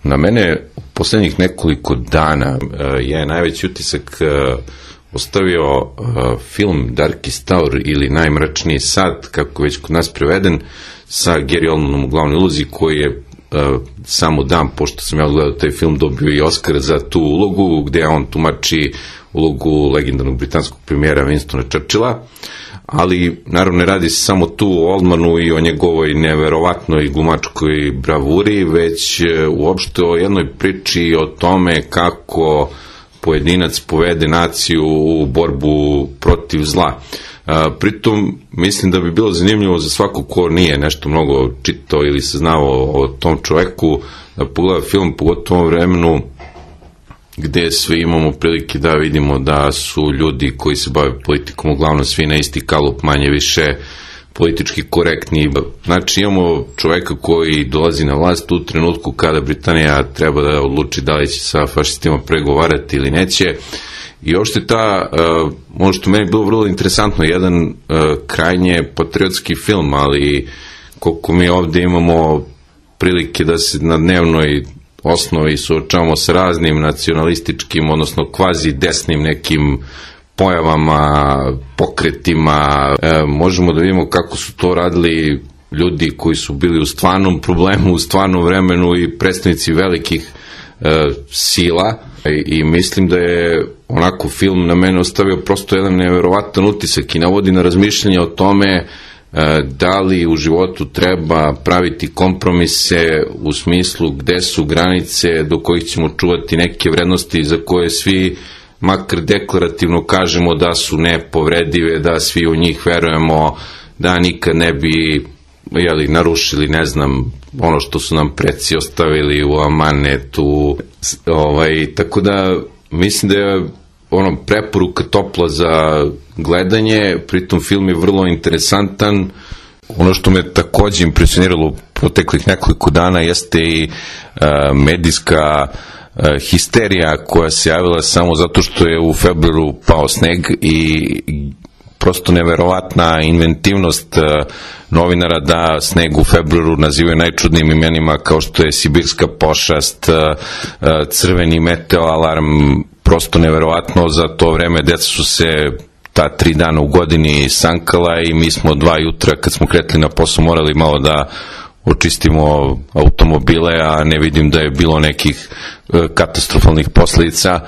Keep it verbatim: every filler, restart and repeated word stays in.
Na mene u poslednjih nekoliko dana je najveći utisak ostavio film Darkest Hour ili Najmračniji sat, kako je već kod nas preveden, sa Gary Oldmanom u glavnoj ulozi, koji je samo dan pošto sam ja odgledao taj film dobio i Oskar za tu ulogu, gde on tumači ulogu legendarnog britanskog premijera Winstona Churchilla, ali naravno ne radi se samo tu o Oldmanu i o njegovoj neverovatnoj glumačkoj bravuri, već uopšte o jednoj priči o tome kako pojedinac povede naciju u borbu protiv zla. Pritom mislim da bi bilo zanimljivo za svako ko nije nešto mnogo čitao ili saznao o tom čoveku da pogleda film, pogotovo u vremenu gde svi imamo prilike da vidimo da su ljudi koji se bave politikom uglavnom svi na isti kalup, manje više politički korektni. Znači imamo čoveka koji dolazi na vlast u trenutku kada Britanija treba da odluči da li će sa fašistima pregovarati ili neće. I uopšte ta, uh, ono što meni je bilo vrlo interesantno, jedan uh, krajnje patriotski film, ali koliko mi ovde imamo prilike da se na dnevnoj osnovi suočavamo sa raznim nacionalističkim, odnosno kvazi desnim nekim pojavama, pokretima, e, možemo da vidimo kako su to radili ljudi koji su bili u stvarnom problemu, u stvarnom vremenu i predstavnici velikih e, sila. I, i mislim da je onako film na mene ostavio prosto jedan neverovatan utisak i navodi na razmišljanje o tome da li u životu treba praviti kompromise u smislu gde su granice do kojih ćemo čuvati neke vrednosti za koje svi makar deklarativno kažemo da su nepovredive, da svi u njih verujemo, da nikad ne bi jeli, narušili, ne znam, ono što su nam preci ostavili u amanetu. Ovaj, tako da mislim da je ono preporuka topla za gledanje, pritom film je vrlo interesantan. Ono što me takođe impresioniralo proteklih nekoliko dana jeste i uh, medijska uh, histerija koja se javila samo zato što je u februaru pao sneg i prosto neverovatna inventivnost uh, novinara da sneg u februaru nazivaju najčudnijim imenima kao što je sibirska pošast, uh, uh, crveni meteoalarm, prosto neverovatno. Za to vreme deca su se ta tri dana u godini sankala i mi smo dva jutra kad smo kretili na posao morali malo da očistimo automobile, a ne vidim da je bilo nekih katastrofalnih posledica.